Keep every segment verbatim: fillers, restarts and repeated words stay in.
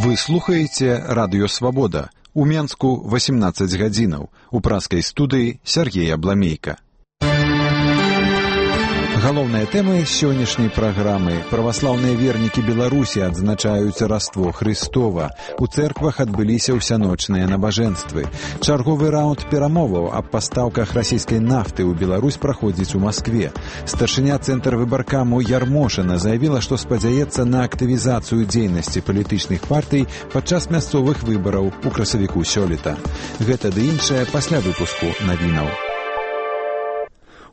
Вы слухаеце радыё «Свабода». У Менску восемнадцаць гадзінаў. У праскай студыі Сергей Абламейка. Галоўныя тэмы сённяшняй праграмы. Праваслаўныя вернікі Беларусі адзначаюць Раство Хрыстова. У цэрквах адбыліся ўсяночныя набажэнствы. Чарговы раунд перамоваў аб пастаўках расійскай нафты ў Беларусь праходзіць у Маскве. Старшыня цэнтр выбаркаму Ярмошына заявіла, што спадзяецца на актывізацыю дзейнасці палітычных партый падчас мясцовых выбараў у красавіку сёлета. Гэта ды іншае пасля выпуску навінаў.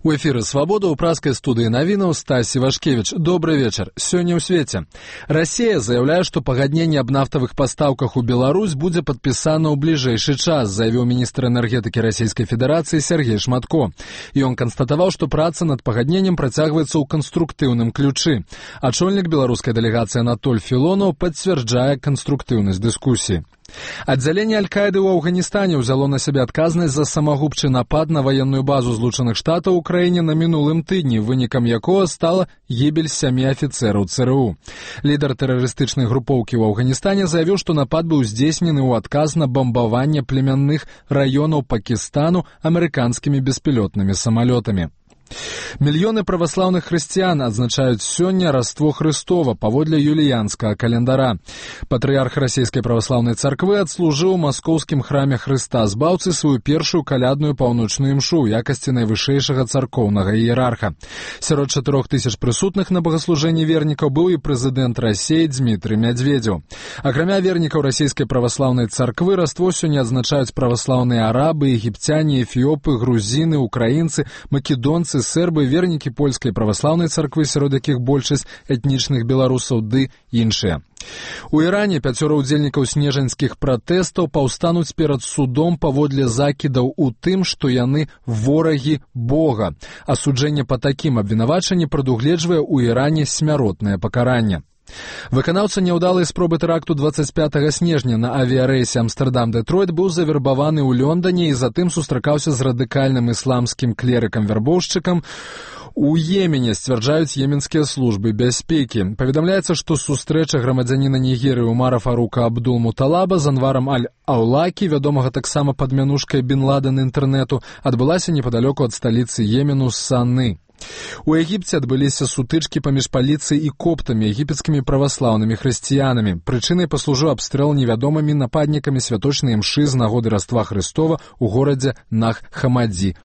У эфіры «Свабода» ў праскай студыі навінаў Стасі Вашкевіч. Добрый вечар. Сёння ў свеце. Расія заяўляе, што пагадненне аб нафтавых пастаўках у Беларусь будзе падпісана ў бліжэйшы час, заявіў міністр энергетыкі Расійскай Федэрацыі Сергей Шматко. Ён канстатаваў, што праца над пагадненнем працягваецца ў канструктыўным ключы. Ачольнік беларускай дэлегацыі Анатоль Філонаў пацвярджае канструктыўнасць дыскусіі. Аддзяленне Аль-Каіды ў Афганістане ўзяло на сябе адказнасць за самагубчы напад на ваенную базу Злучаных Штатаў у краіне на мінулым тыдні, вынікам якога стала гібель сямі афіцэраў ЦРУ. Лідар тэрарыстычнай групоўкі ў Афганістане заявіў, што напад быў здзейснены ў адказ на бамбаванне племянных раёнаў Пакістану амерыканскімі беспілотнымі самалётамі. Мільёны праваслаўных хрысціян адзначаюць сёння Раство Хрыстова паводле юліянскага календара. Патрыярх расійскай праваслаўнай царквы адслужыў у маскоўскім храме Хрыста Збаўцы сваю першую калядную паўночную імшу ў якасці найвышэйшага царкоўнага іерарха. Сярод чатырох тысяч прысутных на багаслужэнні вернікаў быў і прэзідэнт Расіі Дзмітрый Мядзведзеў. Акрамя вернікаў расійскай праваслаўнай царквы Раство сёння адзначаюць праваслаўныя арабы, егіпцяне, эфіопы, грузіны, украінцы, македонцы, сербы, вернікі польскай праваслаўнай царквы, сярод якіх большасць этнічных беларусаў ды іншыя. У Іране пяцёра ўдзельнікаў снежаньскіх пратэстаў паўстануць перад судом паводле закідаў у тым, што яны ворагі Бога. Асуджэнне па такім абвінавачанні прадугледжвае ў Іране смяротнае пакаранне. Выканаўца няўдалай спробы тэракту дваццаць пятага снежня на авіярэйсе Амстэрдам-Дэтройт быў завербаваны ў Лёндане і затым сустракаўся з радыкальным ісламскім клерыкам-вярбоўшчыкам у Йемене, сцвярджаюць йеменскія службы бяспекі. Паведамляецца, што сустрэча грамадзяніна Нігерыі Умара Фарука Абдул-Муталаба з Анварам Аль-Аўлакі, вядомага таксама пад мянушкай Бін Ладен інтэрнэту, адбылася непадалёку ад сталіцы Йемену Саны. У Егіпце адбыліся сутычкі паміж паліцыяй і коптамі, егіпецкімі праваслаўнымі хрысціянамі. Прычынай паслужыў абстрэл невядомымі нападнікамі святочнай імшы з нагоды Раства Хрыстова ў горадзе Нах-Хамадзі